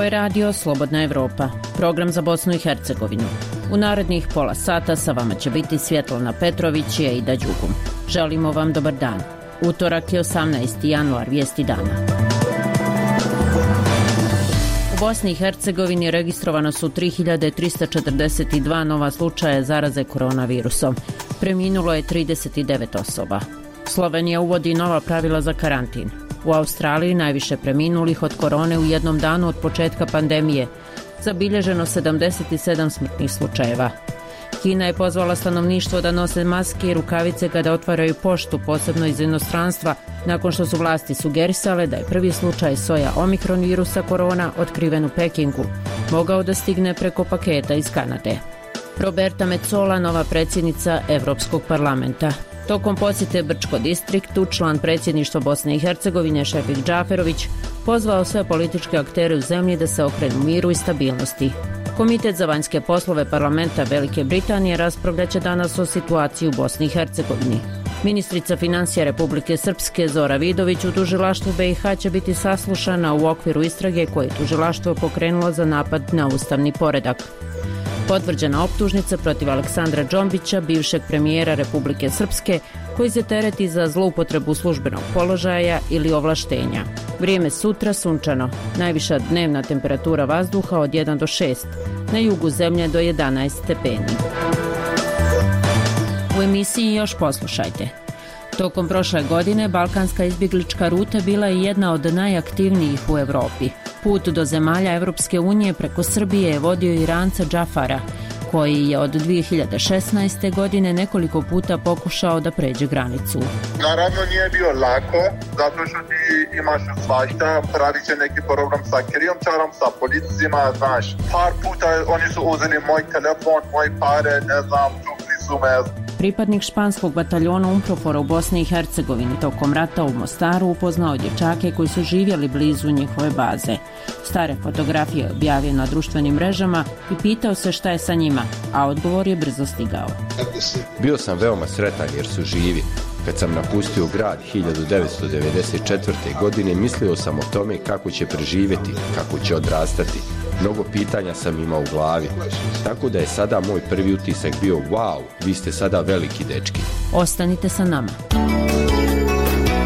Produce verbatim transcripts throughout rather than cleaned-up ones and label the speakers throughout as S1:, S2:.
S1: Ovo je radio Slobodna Evropa, program za Bosnu i Hercegovinu. U narednih pola sata sa vama će biti Svjetlana Petrović i Ejda Đugum. Želimo vam dobar dan. Utorak je osamnaesti januar, vijesti dana. U Bosni i Hercegovini registrovano su tri hiljade trista četrdeset dva nova slučaja zaraze koronavirusom. Preminulo je trideset devet osoba. Slovenija uvodi nova pravila za karantin. U Australiji najviše preminulih od korone u jednom danu od početka pandemije. Zabilježeno sedamdeset sedam smrtnih slučajeva. Kina je pozvala stanovništvo da nose maske i rukavice kada otvaraju poštu, posebno iz inostranstva, nakon što su vlasti sugerisale da je prvi slučaj soja omikron virusa korona otkriven u Pekingu mogao da stigne preko paketa iz Kanade. Roberta Metsola, nova predsjednica Evropskog parlamenta. Tokom posjete Brčko distriktu, član predsjedništva Bosne i Hercegovine Šefik Džaferović pozvao sve političke aktere u zemlji da se okrenu miru i stabilnosti. Komitet za vanjske poslove parlamenta Velike Britanije raspravljaće danas o situaciji u Bosni i Hercegovini. Ministrica financija Republike Srpske Zora Vidović u tužilaštvu B i H će biti saslušana u okviru istrage koje je tužilaštvo pokrenulo za napad na ustavni poredak. Potvrđena optužnica protiv Aleksandra Džombića, bivšeg premijera Republike Srpske, koji se tereti za zloupotrebu službenog položaja ili ovlaštenja. Vrijeme sutra sunčano, najviša dnevna temperatura vazduha od jedan do šest, na jugu zemlje do jedanaest stepeni. U emisiji još poslušajte. Tokom prošle godine balkanska izbjeglička ruta bila je jedna od najaktivnijih u Europi. Put do zemalja Evropske unije preko Srbije je vodio Iranca Džafara, koji je od dvije hiljade šesnaeste. godine nekoliko puta pokušao da pređe granicu.
S2: Naravno nije bio lako, zato što ti imaš svašta, pravi će neki program sa krijumčarom, sa policijima, znaš. Par puta oni su uzeli moj telefon, moj pare, ne znam, čukli su me.
S1: Pripadnik španskog bataljona UNPROFOR-a u Bosni i Hercegovini tokom rata u Mostaru upoznao dječake koji su živjeli blizu njihove baze. Stare fotografije je objavio na društvenim mrežama i pitao se šta je sa njima, a odgovor je brzo stigao.
S3: Bio sam veoma sretan jer su živi. Kad sam napustio grad hiljadu devetsto devedeset četvrte. godine mislio sam o tome kako će preživjeti, kako će odrastati. Mnogo pitanja sam imao u glavi, tako da je sada moj prvi utisak bio wow, vi ste sada veliki dečki.
S1: Ostanite sa nama.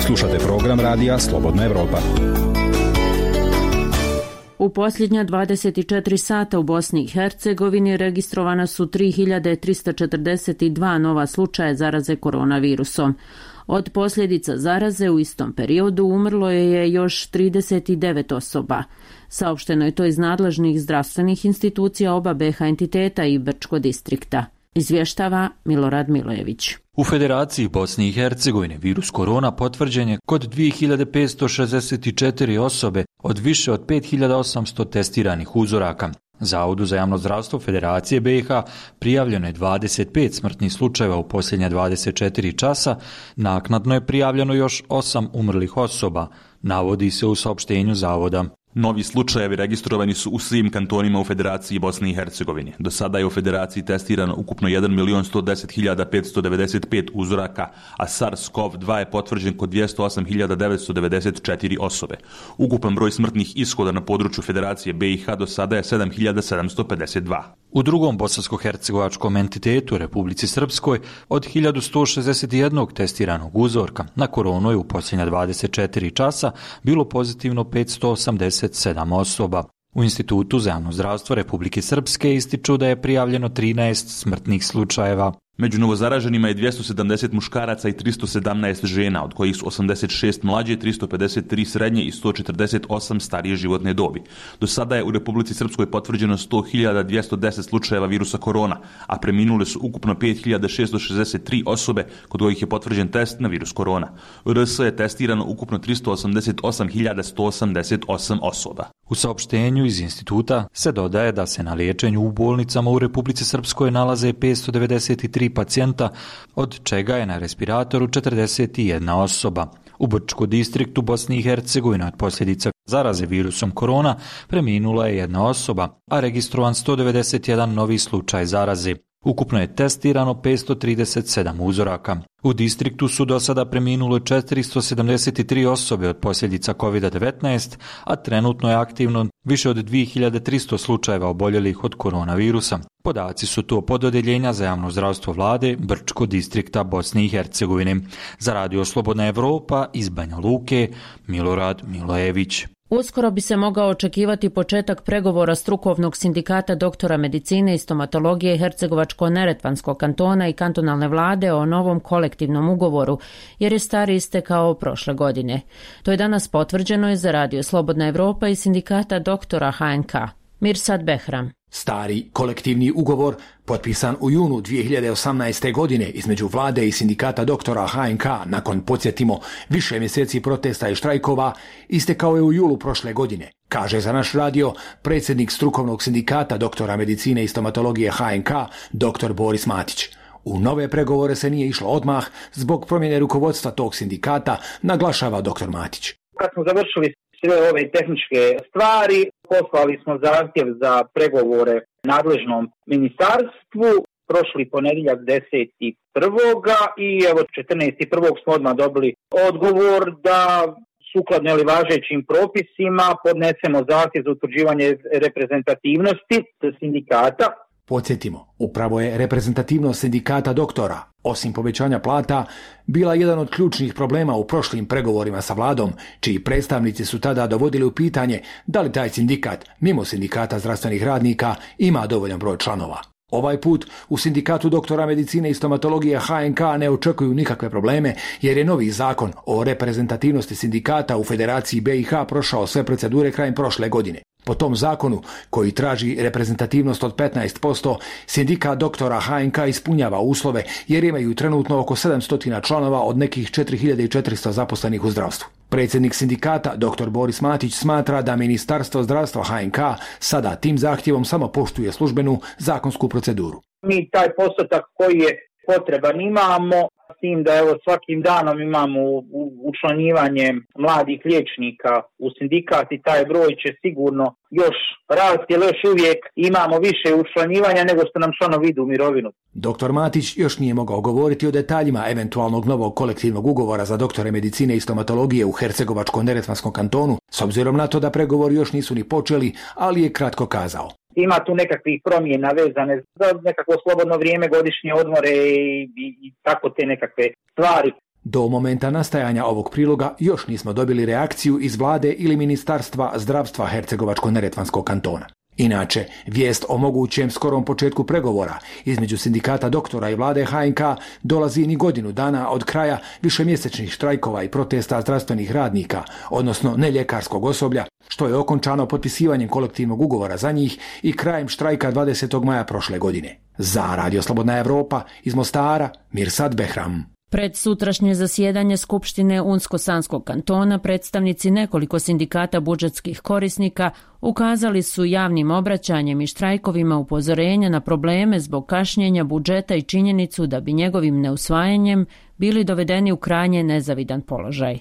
S4: Slušate program radija Slobodna Evropa.
S1: U posljednja dvadeset četiri sata u Bosni i Hercegovini registrovana su tri hiljade trista četrdeset dva nova slučaja zaraze koronavirusom. Od posljedica zaraze u istom periodu umrlo je još trideset devet osoba. Saopšteno je to iz nadležnih zdravstvenih institucija oba B i H entiteta i Brčko distrikta. Izvještava Milorad Milojević.
S5: U Federaciji Bosne i Hercegovine virus korona potvrđen je kod dvije hiljade petsto šezdeset četiri osobe od više od pet hiljada osamsto testiranih uzoraka. Zavodu za javno zdravstvo Federacije B i H prijavljeno je dvadeset pet smrtnih slučajeva u posljednja dvadeset četiri časa, naknadno je prijavljeno još osam umrlih osoba, navodi se u saopštenju zavoda.
S6: Novi slučajevi registrovani su u svim kantonima u Federaciji Bosne i Hercegovine. Do sada je u Federaciji testirano ukupno jedan milion sto deset hiljada petsto devedeset pet uzoraka, a SARS-CoV dva je potvrđen kod dvjesto osam hiljada devetsto devedeset četiri osobe. Ukupan broj smrtnih ishoda na području Federacije B i H do sada je sedam hiljada sedamsto pedeset dva.
S5: U drugom bosansko-hercegovačkom entitetu, Republici Srpskoj, od hiljadu sto šezdeset jedan testiranog uzorka na koronu je u posljednja dvadeset četiri časa bilo pozitivno petsto osamdeset sedam osoba. U Institutu za javno zdravstvo Republike Srpske ističu da je prijavljeno trinaest smrtnih slučajeva.
S6: Među novozaraženima je dvjesto sedamdeset muškaraca i tristo sedamnaest žena, od kojih su osamdeset šest mlađe, tristo pedeset tri srednje i sto četrdeset osam starije životne dobi. Do sada je u Republici Srpskoj potvrđeno sto hiljada dvjesto deset slučajeva virusa korona, a preminule su ukupno pet hiljada šesto šezdeset tri osobe kod kojih je potvrđen test na virus korona. U R S je testirano ukupno tristo osamdeset osam hiljada sto osamdeset osam osoba.
S5: U saopštenju iz instituta se dodaje da se na liječenju u bolnicama u Republici Srpskoj nalaze petsto devedeset tri pacijenta, od čega je na respiratoru četrdeset jedna osoba. U Brčko distriktu Bosne i Hercegovine od posljedica zaraze virusom korona preminula je jedna osoba, a registrovan sto devedeset jedan novi slučaj zaraze. Ukupno je testirano petsto trideset sedam uzoraka. U distriktu su do sada preminule četiristo sedamdeset tri osobe od posljedica kovid devetnaest, a trenutno je aktivno više od dvije hiljade tristo slučajeva oboljelih od koronavirusa. Podaci su to pod odeljenja za javno zdravstvo vlade Brčko distrikta Bosne i Hercegovine. Za Radio Slobodna Evropa iz Banja Luke, Milorad Milojević.
S1: Uskoro bi se mogao očekivati početak pregovora strukovnog sindikata doktora medicine i stomatologije Hercegovačko-neretvanskog kantona i kantonalne vlade o novom kolektivnom ugovoru, jer je stari istekao prošle godine. To je danas potvrđeno i za Radio Slobodna Evropa i sindikata doktora H N K. Mirsad Behram.
S7: Stari kolektivni ugovor, potpisan u junu dvije hiljade osamnaeste. godine između vlade i sindikata doktora H N K nakon, podsjetimo, više mjeseci protesta i štrajkova, istekao je u julu prošle godine, kaže za naš radio predsjednik strukovnog sindikata doktora medicine i stomatologije H N K, doktor Boris Matić. U nove pregovore se nije išlo odmah zbog promjene rukovodstva tog sindikata, naglašava doktor Matić.
S8: Kad smo završili sve ove tehničke stvari, poslali smo zahtjev za pregovore nadležnom ministarstvu prošli ponedjeljak deseti prvoga i evo četrnaesti prvog smo odmah dobili odgovor da sukladno ili važećim propisima podnesemo zahtjev za utvrđivanje reprezentativnosti sindikata.
S7: Podsjetimo, upravo je reprezentativnost sindikata doktora, osim povećanja plata, bila jedan od ključnih problema u prošlim pregovorima sa vladom, čiji predstavnici su tada dovodili u pitanje da li taj sindikat, mimo sindikata zdravstvenih radnika, ima dovoljan broj članova. Ovaj put u sindikatu doktora medicine i stomatologije H N K ne očekuju nikakve probleme, jer je novi zakon o reprezentativnosti sindikata u Federaciji B i H prošao sve procedure krajem prošle godine. Po tom zakonu, koji traži reprezentativnost od petnaest posto, sindikat doktora H N K ispunjava uslove jer imaju trenutno oko sedamsto članova od nekih četiri hiljade četiristo zaposlenih u zdravstvu. Predsjednik sindikata doktor Boris Matić smatra da Ministarstvo zdravstva H N K sada tim zahtjevom samo poštuje službenu zakonsku proceduru.
S8: Mi taj postotak koji je potreban imamo, s tim da evo svakim danom imamo učlanjivanje mladih liječnika u sindikat i taj broj će sigurno još rasti, jer još uvijek imamo više učlanjivanja nego što nam članovi idu u mirovinu.
S7: Doktor Matić još nije mogao govoriti o detaljima eventualnog novog kolektivnog ugovora za doktore medicine i stomatologije u Hercegovačko-neretvanskom kantonu, s obzirom na to da pregovori još nisu ni počeli, ali je kratko kazao.
S8: Ima tu nekakvih promjena vezane za nekakvo slobodno vrijeme, godišnje odmore i, i, i tako te nekakve stvari.
S7: Do momenta nastajanja ovog priloga još nismo dobili reakciju iz vlade ili Ministarstva zdravstva Hercegovačko-neretvanskog kantona. Inače, vijest o mogućem skorom početku pregovora između sindikata doktora i vlade H N K dolazi ni godinu dana od kraja višemjesečnih štrajkova i protesta zdravstvenih radnika, odnosno neljekarskog osoblja, što je okončano potpisivanjem kolektivnog ugovora za njih i krajem štrajka dvadesetog maja prošle godine. Za Radio Slobodna Evropa iz Mostara, Mirsad Behram.
S1: Pred sutrašnje zasjedanje Skupštine Unsko-Sanskog kantona predstavnici nekoliko sindikata budžetskih korisnika ukazali su javnim obraćanjem i štrajkovima upozorenja na probleme zbog kašnjenja budžeta i činjenicu da bi njegovim neusvajanjem bili dovedeni u krajnje nezavidan položaj.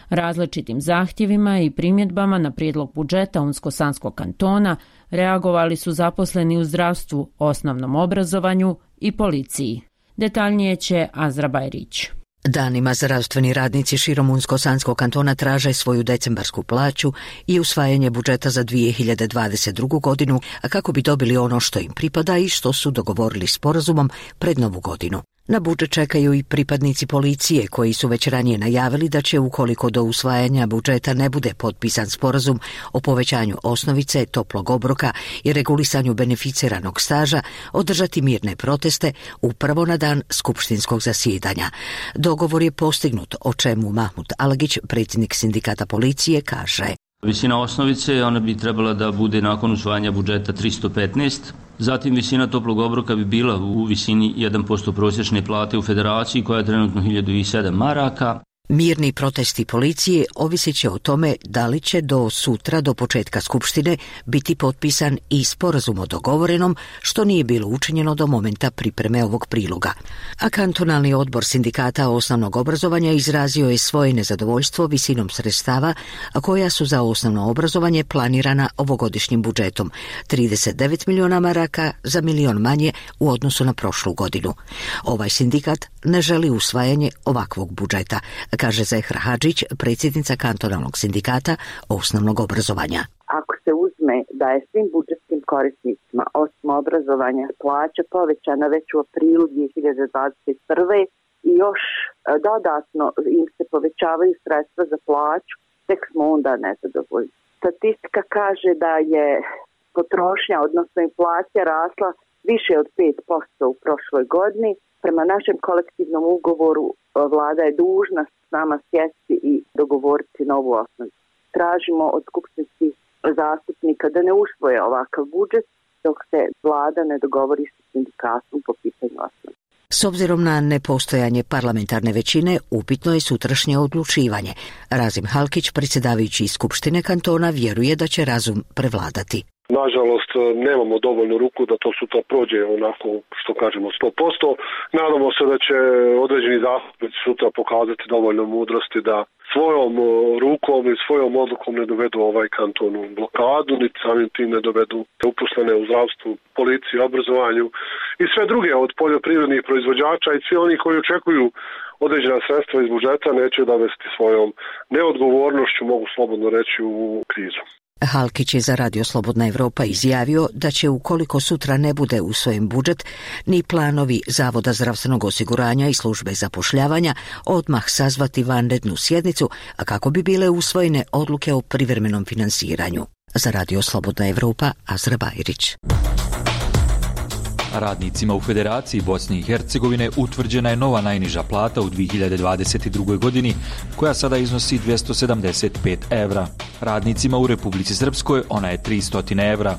S1: Različitim zahtjevima i primjedbama na prijedlog budžeta Unsko-Sanskog kantona reagovali su zaposleni u zdravstvu, osnovnom obrazovanju i policiji. Detaljnije će Azra Bajrić.
S9: Danima zdravstveni radnici širom Unsko-Sanskog kantona traže svoju decembarsku plaću i usvajanje budžeta za dvije hiljade dvadeset drugu. godinu, a kako bi dobili ono što im pripada i što su dogovorili sporazumom pred novu godinu. Na budžet čekaju i pripadnici policije koji su već ranije najavili da će, ukoliko do usvajanja budžeta ne bude potpisan sporazum o povećanju osnovice, toplog obroka i regulisanju beneficiranog staža, održati mirne proteste upravo na dan skupštinskog zasjedanja. Dogovor je postignut, o čemu Mahmud Alagić, predsjednik sindikata policije, kaže.
S10: Visina osnovice, ona bi trebala da bude nakon usvajanja budžeta tristo petnaest. Zatim visina toplog obroka bi bila u visini jedan posto prosječne plate u federaciji koja je trenutno hiljadu sedam maraka.
S9: Mirni protesti policije ovisit će o tome da li će do sutra, do početka skupštine, biti potpisan i sporazum o dogovorenom, što nije bilo učinjeno do momenta pripreme ovog priloga. A kantonalni odbor sindikata osnovnog obrazovanja izrazio je svoje nezadovoljstvo visinom sredstava koja su za osnovno obrazovanje planirana ovogodišnjim budžetom, trideset devet miliona maraka za milion manje u odnosu na prošlu godinu. Ovaj sindikat ne želi usvajanje ovakvog budžeta, kaže Zehra Hadžić, predsjednica kantonalnog sindikata osnovnog obrazovanja.
S11: Ako se uzme da je svim budžetskim korisnicima osim obrazovanja plaća povećana već u aprilu dvije hiljade dvadeset prve i još dodatno im se povećavaju sredstva za plaću, tek smo onda nezadovoljni. Statistika kaže da je potrošnja, odnosno inflacija, rasla više od pet posto u prošloj godini. Prema našem kolektivnom ugovoru vlada je dužna s nama sjesti i dogovoriti novu osnovicu. Tražimo od skupštinskih zastupnika da ne usvoje ovakav budžet dok se vlada ne dogovori sa sindikatom po pitanju osnovice.
S9: S obzirom na nepostojanje parlamentarne većine, upitno je sutrašnje odlučivanje. Razim Halkić, predsjedavajući iz Skupštine kantona, vjeruje da će razum prevladati.
S12: Nažalost, nemamo dovoljnu ruku da to sutra prođe onako, što kažemo, sto posto. Nadamo se da će određeni zastupnici sutra pokazati dovoljno mudrosti da svojom rukom i svojom odlukom ne dovedu ovaj kanton u blokadu, niti samim tim ne dovedu uposlene u zdravstvu, policiji, obrazovanju i sve druge od poljoprivrednih proizvođača i svi oni koji očekuju određena sredstva iz budžeta neće dovesti svojom neodgovornošću, mogu slobodno reći, u krizu.
S9: Halkić je za Radio Slobodna Evropa izjavio da će, ukoliko sutra ne bude usvojen budžet, ni planovi Zavoda zdravstvenog osiguranja i službe zapošljavanja odmah sazvati vanrednu sjednicu, a kako bi bile usvojene odluke o privremenom finansiranju. Za Radio Slobodna Evropa, Azra Bajrić.
S5: Radnicima u Federaciji Bosne i Hercegovine utvrđena je nova najniža plata u dvije hiljade dvadeset drugoj. godini, koja sada iznosi dvjesto sedamdeset pet evra. Radnicima u Republici Srpskoj ona je tristo evra.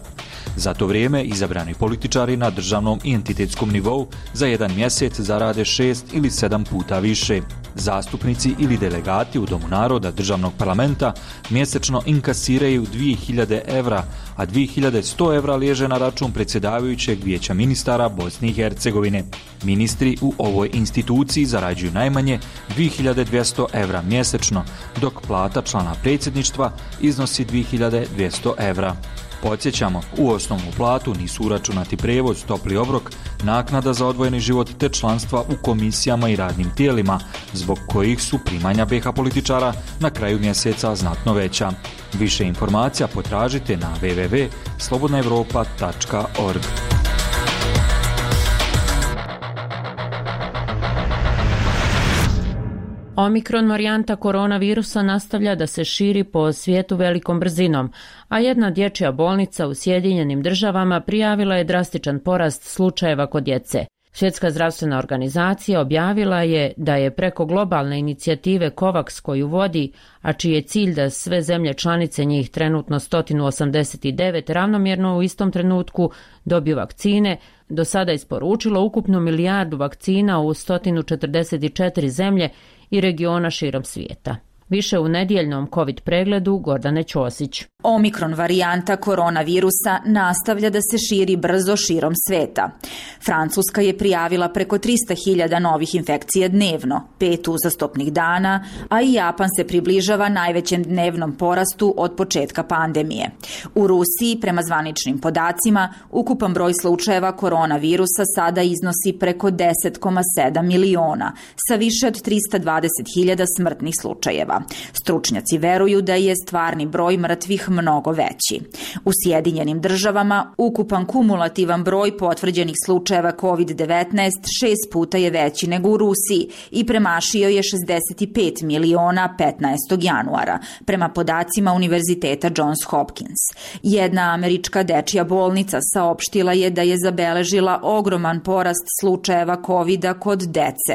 S5: Za to vrijeme izabrani političari na državnom i entitetskom nivou za jedan mjesec zarade šest ili sedam puta više. Zastupnici ili delegati u Domu naroda državnog parlamenta mjesečno inkasiraju dvije hiljade evra, a dvije hiljade sto evra liježe na račun predsjedavajućeg vijeća ministara Bosne i Hercegovine. Ministri u ovoj instituciji zarađuju najmanje dvije hiljade dvjesto evra mjesečno, dok plata člana predsjedništva iznosi dvije hiljade dvjesto evra. Podsjećamo, u osnovnu platu nisu uračunati prijevoz, topli obrok, naknada za odvojeni život te članstva u komisijama i radnim tijelima, zbog kojih su primanja be ha političara na kraju mjeseca znatno veća. Više informacija potražite na w w w tačka slobodna evropa tačka org.
S1: Omikron varijanta koronavirusa nastavlja da se širi po svijetu velikom brzinom, a jedna dječja bolnica u Sjedinjenim državama prijavila je drastičan porast slučajeva kod djece. Svjetska zdravstvena organizacija objavila je da je preko globalne inicijative COVAX koju vodi, a čiji je cilj da sve zemlje članice, njih trenutno sto osamdeset devet, ravnomjerno u istom trenutku dobiju vakcine, do sada isporučilo ukupno milijardu vakcina u sto četrdeset četiri zemlje i regiona širom svijeta. Više u nedjeljnom COVID pregledu Gordane Ćosić.
S13: Omikron varijanta koronavirusa nastavlja da se širi brzo širom sveta. Francuska je prijavila preko tristo hiljada novih infekcija dnevno, pet uzastopnih dana, a i Japan se približava najvećem dnevnom porastu od početka pandemije. U Rusiji, prema zvaničnim podacima, ukupan broj slučajeva koronavirusa sada iznosi preko deset zarez sedam miliona, sa više od tristo dvadeset hiljada smrtnih slučajeva. Stručnjaci veruju da je stvarni broj mrtvih mnogo veći. U Sjedinjenim državama ukupan kumulativan broj potvrđenih slučajeva kovid devetnaest šest puta je veći nego u Rusiji i premašio je šezdeset pet miliona petnaestog januara, prema podacima Univerziteta Johns Hopkins. Jedna američka dečja bolnica saopštila je da je zabeležila ogroman porast slučajeva kovida kod dece.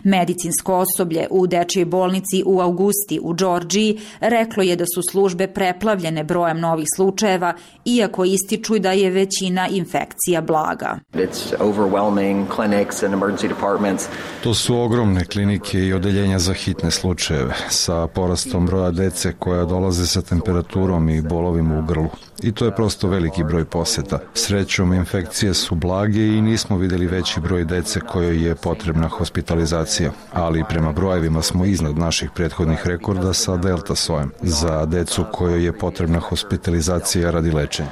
S13: Medicinsko osoblje u dečjoj bolnici u avgustu vesti u Džordžiji reklo je da su službe preplavljene brojem novih slučajeva, iako ističu da je većina infekcija blaga.
S14: To su ogromne klinike i odeljenja za hitne slučajeve sa porastom broja dece koja dolaze sa temperaturom i bolovima u grlu. I to je prosto veliki broj poseta. Srećom, infekcije su blage i nismo vidjeli veći broj dece kojoj je potrebna hospitalizacija, ali prema brojevima smo iznad naših prethodnih rekorda sa delta sojem za decu kojoj je potrebna hospitalizacija radi lečenja.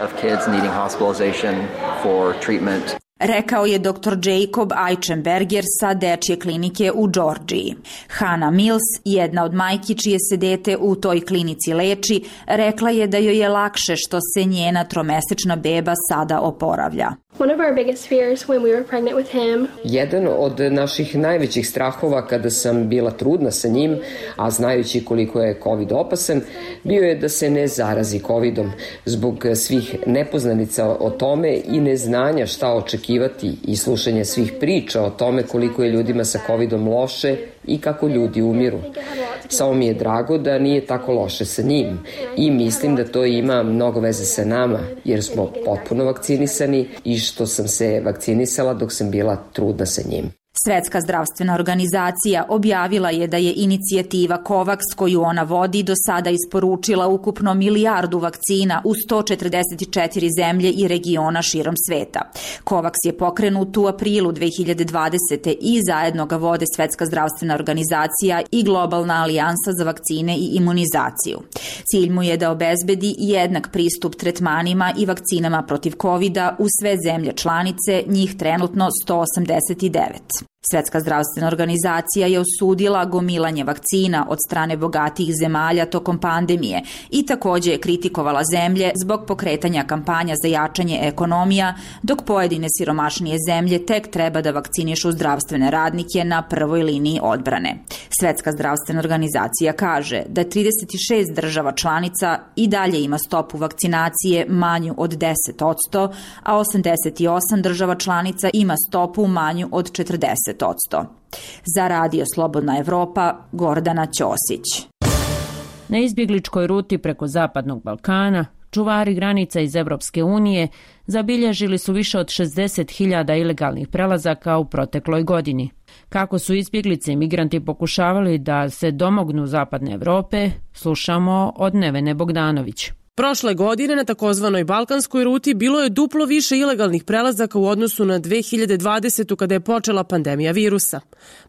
S13: Rekao je doktor Jacob Eichenberger sa dečje klinike u Džordžiji. Hannah Mills, jedna od majki čije se dete u toj klinici leči, rekla je da joj je lakše što se njena tromesečna beba sada oporavlja.
S15: One of our biggest fears when we were pregnant with him.
S16: Jedan od naših najvećih strahova kada sam bila trudna sa njim, a znajući koliko je COVID opasan, bio je da se ne zarazi COVIDom zbog svih nepoznanica o tome i neznanja šta očekivati i slušanje svih priča o tome koliko je ljudima sa COVIDom loše i kako ljudi umiru. Samo mi je drago da nije tako loše sa njim i mislim da to ima mnogo veze sa nama jer smo potpuno vakcinisani i što sam se vakcinisala dok sam bila trudna sa njim.
S13: Svetska zdravstvena organizacija objavila je da je inicijativa COVAX koju ona vodi do sada isporučila ukupno milijardu vakcina u sto četrdeset četiri zemlje i regiona širom sveta. COVAX je pokrenut u aprilu dve hiljade dvadesete. i zajedno ga vode Svetska zdravstvena organizacija i Globalna alijansa za vakcine i imunizaciju. Cilj mu je da obezbedi jednak pristup tretmanima i vakcinama protiv kovida u sve zemlje članice, njih trenutno sto osamdeset devet. Svetska zdravstvena organizacija je osudila gomilanje vakcina od strane bogatijih zemalja tokom pandemije i također je kritikovala zemlje zbog pokretanja kampanja za jačanje ekonomija, dok pojedine siromašnije zemlje tek treba da vakcinišu zdravstvene radnike na prvoj liniji odbrane. Svetska zdravstvena organizacija kaže da trideset šest država članica i dalje ima stopu vakcinacije manju od deset posto, a osamdeset osam država članica ima stopu manju od četrdeset posto. Za Radio Slobodna Evropa, Gordana Ćosić.
S1: Na izbjegličkoj ruti preko Zapadnog Balkana, čuvari granica iz Evropske unije zabilježili su više od šezdeset hiljada ilegalnih prelazaka u protekloj godini. Kako su izbjeglice i migranti pokušavali da se domognu Zapadne Evrope, slušamo od Nevene Bogdanović.
S17: Prošle godine na takozvanoj balkanskoj ruti bilo je duplo više ilegalnih prelazaka u odnosu na dve hiljade dvadesetu. kada je počela pandemija virusa.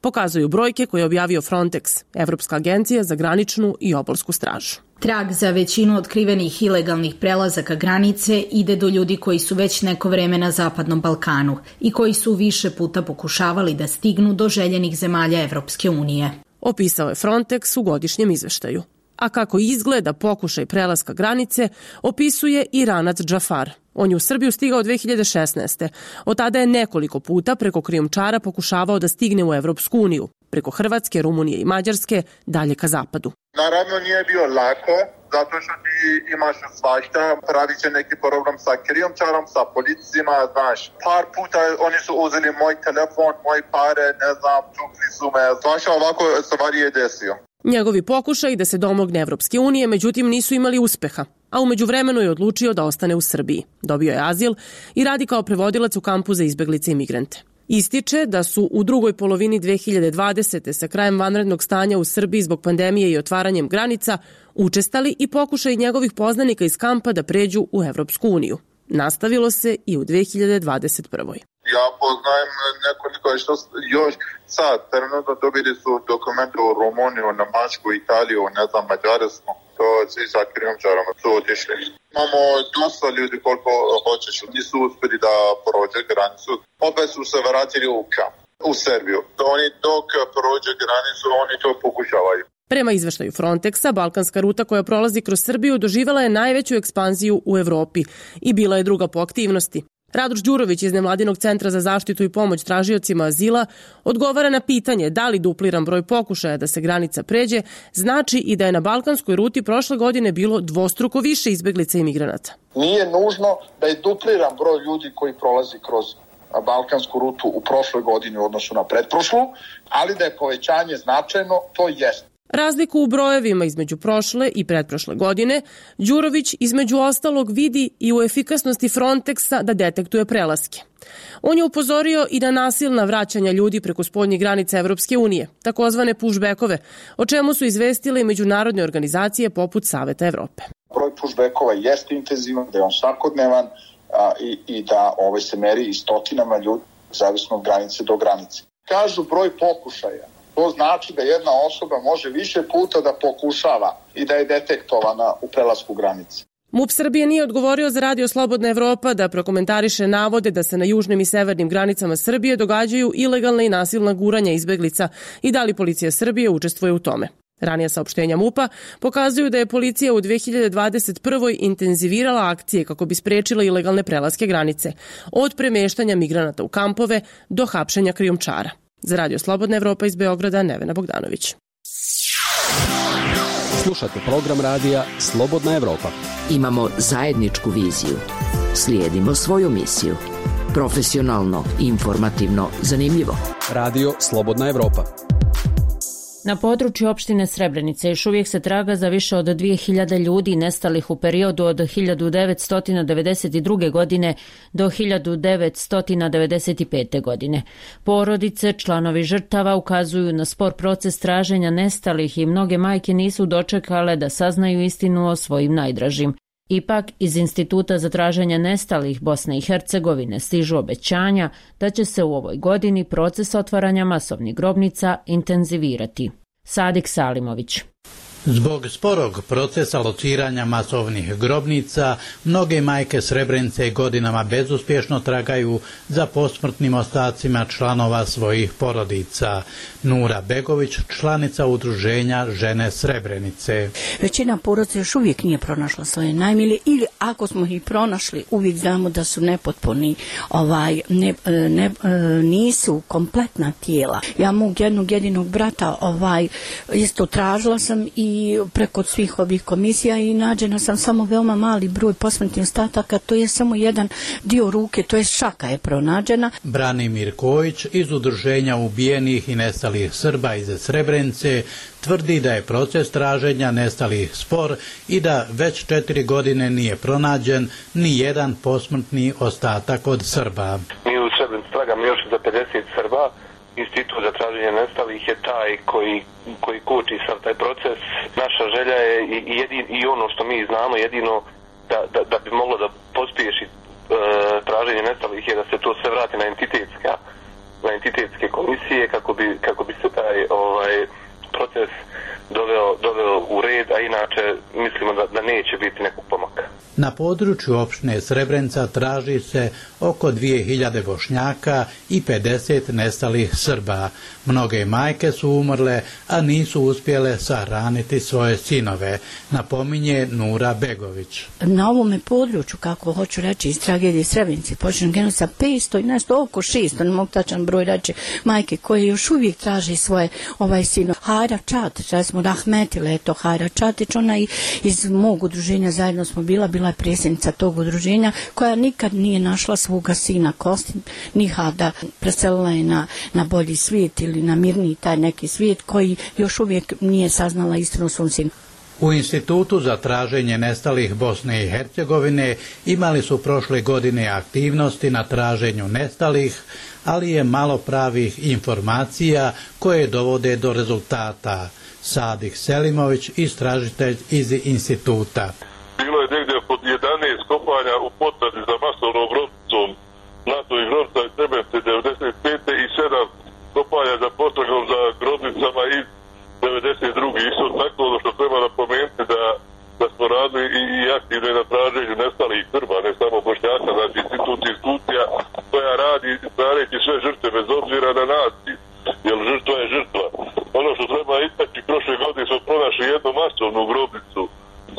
S17: Pokazuju brojke koje je objavio Frontex, Evropska agencija za graničnu i obalsku stražu.
S18: Trag za većinu otkrivenih ilegalnih prelazaka granice ide do ljudi koji su već neko vreme na Zapadnom Balkanu i koji su više puta pokušavali da stignu do željenih zemalja Evropske unije.
S17: Opisao je Frontex u godišnjem izveštaju. A kako izgleda pokušaj prelaska granice, opisuje Iranac Džafar. On je u Srbiju stigao dve hiljade šesnaeste. Od tada je nekoliko puta preko krijumčara pokušavao da stigne u Evropsku uniju, preko Hrvatske, Rumunije i Mađarske, dalje ka zapadu.
S2: Naravno nije bio lako, zato što ti imaš svašta, pravi će neki program sa krijumčarom, sa policijima, znaš. Par puta oni su uzeli moj telefon, moje pare, ne znam, tukli su me, svašta ovako stvari je desio.
S17: Njegovi pokušaj da se domogne Evropske unije, međutim, nisu imali uspeha, a u međuvremenu je odlučio da ostane u Srbiji. Dobio je azil i radi kao prevodilac u kampu za izbeglice i migrante. Ističe da su u drugoj polovini dve hiljade dvadesete. sa krajem vanrednog stanja u Srbiji zbog pandemije i otvaranjem granica učestali i pokušaj njegovih poznanika iz kampa da pređu u Evropsku uniju. Nastavilo se i u dve hiljade dvadeset prvoj.
S2: Ja poznajem nekoliko što još sad, trenutno dobili su dokumente u Rumuniju, na Mačku, Italiju, ne znam, Mađarsku. To svi sa krijumčarom su otišli. Imamo dosta ljudi koliko hoćeš, nisu uspjeli da prođe granicu. Opet su se vratili u kamp, u Srbiju. Oni dok prođe granicu, oni to pokušavaju.
S17: Prema izveštaju Frontexa, balkanska ruta koja prolazi kroz Srbiju doživjela je najveću ekspanziju u Evropi i bila je druga po aktivnosti. Radoš Đurović iz Nevladinog centra za zaštitu i pomoć tražiocima azila odgovara na pitanje da li dupliran broj pokušaja da se granica pređe znači i da je na balkanskoj ruti prošle godine bilo dvostruko više izbeglica i migranata.
S19: Nije nužno da je dupliran broj ljudi koji prolazi kroz balkansku rutu u prošloj godini u odnosu na pretprošlu, ali da je povećanje značajno, to jest.
S17: Razliku u brojevima između prošle i pretprošle godine Đurović između ostalog vidi i u efikasnosti Frontexa da detektuje prelaske. On je upozorio i na nasilna vraćanja ljudi preko spoljnih granica Evropske unije, takozvane pushbackove, o čemu su izvestile i međunarodne organizacije poput Saveta Evrope.
S19: Broj pushbackova jeste intenzivan, da je on svakodnevan a, i, i da ovaj se meri i stotinama ljudi, zavisno od granice do granice. Kažu broj pokušaja. To znači da jedna osoba može više puta da pokušava i da je detektovana u prelasku granice.
S17: MUP Srbije nije odgovorio za Radio Slobodna Evropa da prokomentariše navode da se na južnim i severnim granicama Srbije događaju ilegalna i nasilna guranja izbeglica i da li policija Srbije učestvuje u tome. Ranija saopštenja MUP-a pokazuju da je policija u dve hiljade dvadeset prvoj intenzivirala akcije kako bi sprečila ilegalne prelaske granice, od premeštanja migranata u kampove do hapšenja krijumčara. Za Radio Slobodna Evropa iz Beograda, Nevena Bogdanović.
S20: Slušate program radija Slobodna Evropa.
S9: Imamo zajedničku viziju. Slijedimo svoju misiju. Profesionalno, informativno, zanimljivo.
S20: Radio Slobodna Evropa.
S1: Na području opštine Srebrenice još uvijek se traga za više od dvije hiljade ljudi nestalih u periodu od hiljadu devetsto devedeset druge. godine do hiljadu devetsto devedeset pete. godine. Porodice, članovi žrtava ukazuju na spor proces traženja nestalih i mnoge majke nisu dočekale da saznaju istinu o svojim najdražim. Ipak, iz Instituta za traženje nestalih Bosne i Hercegovine stižu obećanja da će se u ovoj godini proces otvaranja masovnih grobnica intenzivirati. Sadik Salimović.
S21: Zbog sporog procesa lociranja masovnih grobnica, mnoge majke Srebrenice godinama bezuspješno tragaju za posmrtnim ostacima članova svojih porodica. Nura Begović, članica udruženja Žene Srebrenice.
S22: Većina porodica još uvijek nije pronašla svoje najmilije ili ako smo ih pronašli, uvijek znamo da su nepotpuni, ovaj, ne, ne, nisu kompletna tijela. Ja mog jednog jedinog brata ovaj, isto tražila sam i i preko svih ovih komisija i nađena sam samo veoma mali broj posmrtnih ostataka, to je samo jedan dio ruke, to je šaka je pronađena.
S21: Branimir Kojić iz udruženja ubijenih i nestalih Srba iz Srebrenice tvrdi da je proces traženja nestalih spor i da već četiri godine nije pronađen ni jedan posmrtni ostatak od Srba.
S23: Mi u Srebrenici tragamo još za pedeset Srba. Institut za traženje nestalih je taj koji, koji koči sam taj proces. Naša želja je i, jedin, i ono što mi znamo jedino da, da, da bi moglo da pospješi e, traženje nestalih je da se to sve vrati na entitetska, na entitetske komisije kako bi, kako bi se taj ovaj, proces doveo, doveo u red, a inače mislimo da, da neće biti nekog pomaka.
S21: Na području opštine Srebrenica traži se oko dvije hiljade Bošnjaka i pedeset nestalih Srba. Mnoge majke su umrle, a nisu uspjele sahraniti svoje sinove, napominje Nura Begović.
S22: Na ovome području, kako hoću reći, iz tragedije Srebrenice, počinu genu sa petsto i nešto oko šesto, ne mogu tačan broj reći, majke koje još uvijek traži svoje ovaj sino. Hajra Čatić, da smo rahmetile, eto Hajra Čatić, ona i iz mog udruženja zajedno smo bila, bila je predsjednica tog udruženja koja nikad nije našla svoga sina Kostin, niha da preselila je na, na bolji svijet ili na mirniji taj neki svijet koji još uvijek nije saznala istinu svom sinu.
S21: U Institutu za traženje nestalih Bosne i Hercegovine imali su prošle godine aktivnosti na traženju nestalih, ali je malo pravih informacija koje dovode do rezultata. Sadik Selimović, istražitelj iz Instituta.
S24: Bilo je negdje pod jedanaest kopanja u potrazi za masovnom grobnicom NATO i grobnica iz Srebrenice devedeset pete i sedam kopanja za potragom za grobnicama iz devedeset druge Isto tako ono što treba napomenuti da, da smo radili i, i aktivno na traženju nestalih Srba, ne samo Bošnjaka, znači institut institucija koja radi tražeći sve žrtve bez obzira na naciju, jer žrtva je žrtva. Ono što treba istaći, prošle godine smo pronašli jednu masovnu grobnicu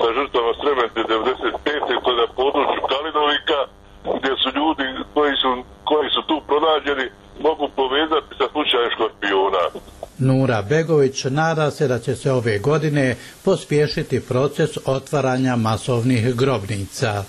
S24: sa žrtvama Srebrenice devedeset pete to je na području Kalinovika, gdje su ljudi koji su, koji su tu pronađeni mogu povezati sa slučajem Škorpiona.
S21: Nura Begović nada se da će se ove godine pospješiti proces otvaranja masovnih grobnica.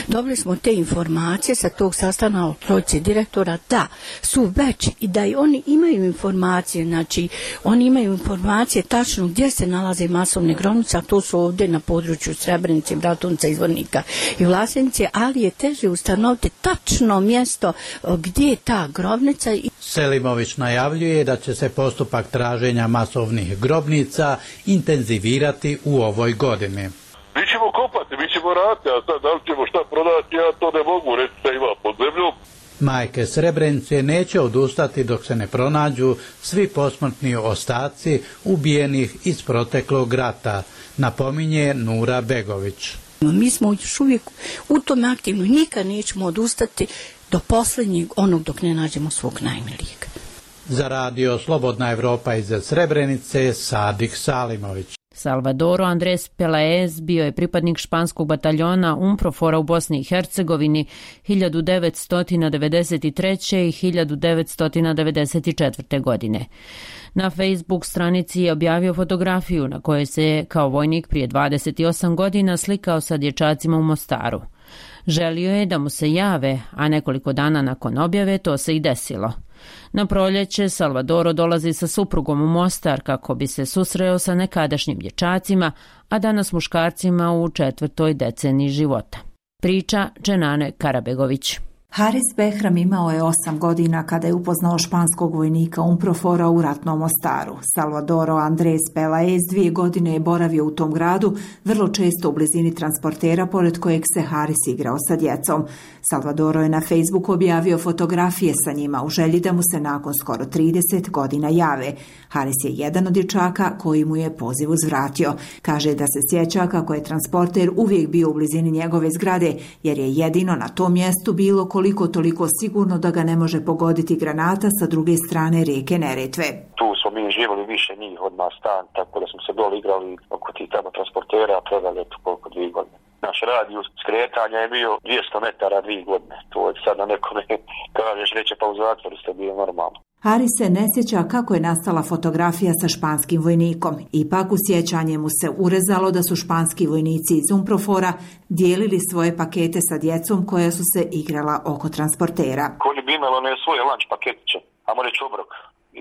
S22: Dobili smo te informacije sa tog sastanka od trojice direktora da su već i da i oni imaju informacije, znači oni imaju informacije tačno gdje se nalaze masovne grobnice, a to su ovdje na području Srebrenice, Bratunca, Izvornika i Vlasenice, ali je teže ustanoviti tačno mjesto gdje je ta grobnica.
S21: Selimović najavljuje da će se postupak traženja masovnih grobnica intenzivirati u ovoj godini.
S24: Mi ćemo kopati, mi ćemo raditi, a sad da li ćemo šta prodati, ja to ne mogu reći da ima pod zemljom.
S21: Majke Srebrenice neće odustati dok se ne pronađu svi posmrtni ostaci ubijenih iz proteklog rata, napominje Nura Begović.
S22: Mi smo još uvijek u tome aktivno, nikad nećemo odustati do posljednjeg onog dok ne nađemo svog najmilijeg.
S21: Za radio Slobodna Evropa iz Srebrenice, Sadik Salimović.
S1: Salvadoro Andres Pelaez bio je pripadnik španskog bataljona UNPROFOR-a u Bosni i Hercegovini hiljadu devetsto devedeset treće. i hiljadu devetsto devedeset četvrte. godine. Na Facebook stranici je objavio fotografiju na kojoj se je kao vojnik prije dvadeset osam godina slikao sa dječacima u Mostaru. Želio je da mu se jave, a nekoliko dana nakon objave to se i desilo. Na proljeće Salvadoro dolazi sa suprugom u Mostar kako bi se susreo sa nekadašnjim dječacima, a danas muškarcima u četvrtoj deceniji života. Priča Dženane Karabegović.
S3: Haris Behram imao je osam godina kada je upoznao španskog vojnika UNPROFOR-a u ratnom Mostaru. Salvadoro Andres Pelaez dvije godine je boravio u tom gradu, vrlo često u blizini transportera pored kojeg se Haris igrao sa djecom. Salvadoro je na Facebooku objavio fotografije sa njima u želji da mu se nakon skoro trideset godina jave. Haris je jedan od dječaka koji mu je poziv uzvratio. Kaže da se sjeća kako je transporter uvijek bio u blizini njegove zgrade, jer je jedino na tom mjestu bilo koliko toliko sigurno da ga ne može pogoditi granata sa druge strane rijeke Neretve.
S23: Tu smo mi živjeli više njih od nas stan, tako da smo se dole igrali oko tih tamo transportera, a predali eto koliko dvije godine. Naš radijus skretanja je bio dvjesto metara dvije godine. To je sad na nekome kažeš reće pa u zatvoru ste bio normalno.
S3: Haris se ne sjeća kako je nastala fotografija sa španskim vojnikom. Ipak u sjećanje mu se urezalo da su španski vojnici iz UNPROFOR-a dijelili svoje pakete sa djecom koja su se igrala oko transportera.
S23: Koji bi imalo ne svoje lanč paketiće, a mo reći obrok.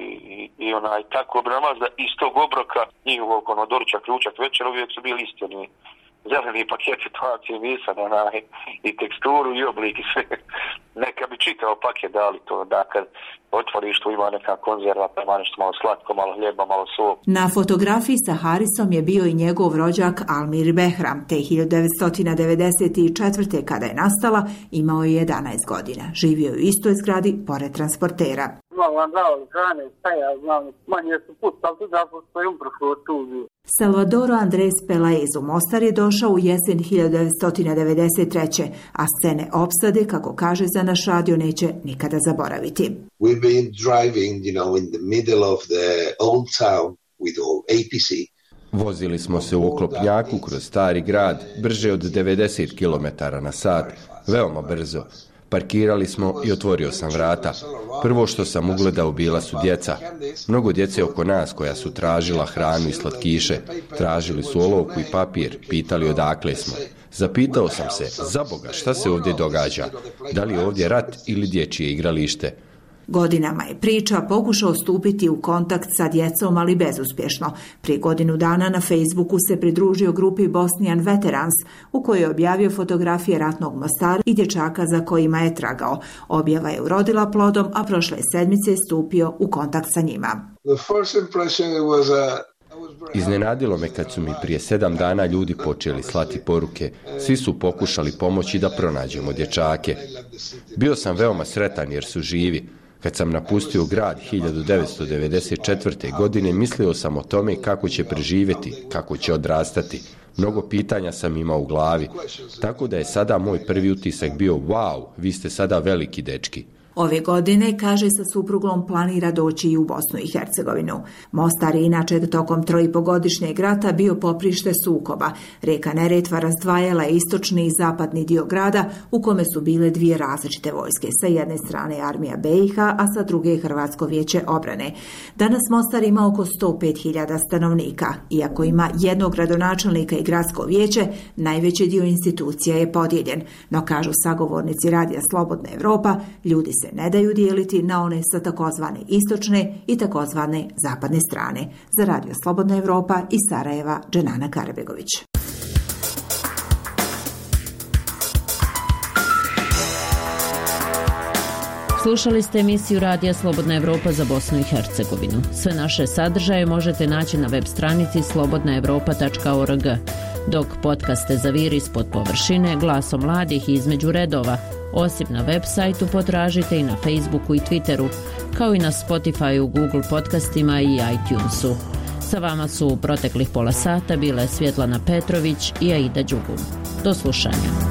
S23: I, i, i onaj tako obramaz da iz tog obroka njihovog ono doručak, ključak, večer uvijek su bili isti oni zeleni paketi, to akcimisan, onaj, i teksturu i oblik i sve. Neka bi čitao paket dali to, da kad otvoriš tu ima neka konzerva, pa ima nešto malo slatko, malo hljeba, malo sol.
S3: Na fotografiji sa Harisom je bio i njegov rođak Almir Behram, te hiljadu devetsto devedeset četvrte. kada je nastala, imao je jedanaest godina. Živio je u istoj zgradi pored transportera. Salvadoro Andres Pelaez u Mostar je došao u jesen hiljadu devetsto devedeset treće. a scene opsade, kako kaže za naš radio, neće nikada zaboraviti.
S4: We've been driving, you know, in the middle of the old town with A P C.
S6: Vozili smo se u oklopnjaku kroz stari grad, brže od devedeset kilometara na sat, veoma brzo. Parkirali smo i otvorio sam vrata. Prvo što sam ugledao bila su djeca. Mnogo djece oko nas koja su tražila hranu i slatkiše. Tražili su olovku i papir, pitali odakle smo. Zapitao sam se, za Boga, šta se ovdje događa? Da li je ovdje rat ili dječje igralište?
S3: Godinama je priča pokušao stupiti u kontakt sa djecom, ali bezuspješno. Prije godinu dana na Facebooku se pridružio grupi Bosnian Veterans, u kojoj je objavio fotografije ratnog Mostara i dječaka za kojima je tragao. Objava je urodila plodom, a prošle sedmice je stupio u kontakt sa njima.
S6: Iznenadilo me kad su mi prije sedam dana ljudi počeli slati poruke. Svi su pokušali pomoći da pronađemo dječake. Bio sam veoma sretan jer su živi. Kad sam napustio grad hiljadu devetsto devedeset četvrte. godine, mislio sam o tome kako će preživjeti, kako će odrastati. Mnogo pitanja sam imao u glavi. Tako da je sada moj prvi utisak bio, wow, vi ste sada veliki dečki.
S3: Ove godine, kaže, sa suprugom planira doći i u Bosnu i Hercegovinu. Mostar je inače tokom troipogodišnjeg rata bio poprište sukoba. Rijeka Neretva razdvajala istočni i zapadni dio grada u kome su bile dvije različite vojske. Sa jedne strane armija B i H, a sa druge Hrvatsko vijeće obrane. Danas Mostar ima oko sto pet hiljada stanovnika. Iako ima jednog gradonačelnika i gradsko vijeće, najveći dio institucija je podijeljen. No, kažu sagovornici Radija Slobodna Evropa, ljudi se ne daju dijeliti na one sa takozvane istočne i takozvane zapadne strane. Za Radio Slobodna Evropa iz Sarajeva, Dženana Karabegović.
S1: Slušali ste emisiju Radija Slobodna Evropa za Bosnu i Hercegovinu. Sve naše sadržaje možete naći na web stranici slobodna evropa tačka org, dok podcaste Zaviri ispod površine, Glaso mladih i Između redova, osim na web sajtu, potražite i na Facebooku i Twitteru, kao i na Spotifyu, Google podcastima i iTunesu. Sa vama su u proteklih pola sata bile Svjetlana Petrović i Aida Đugum. Do slušanja.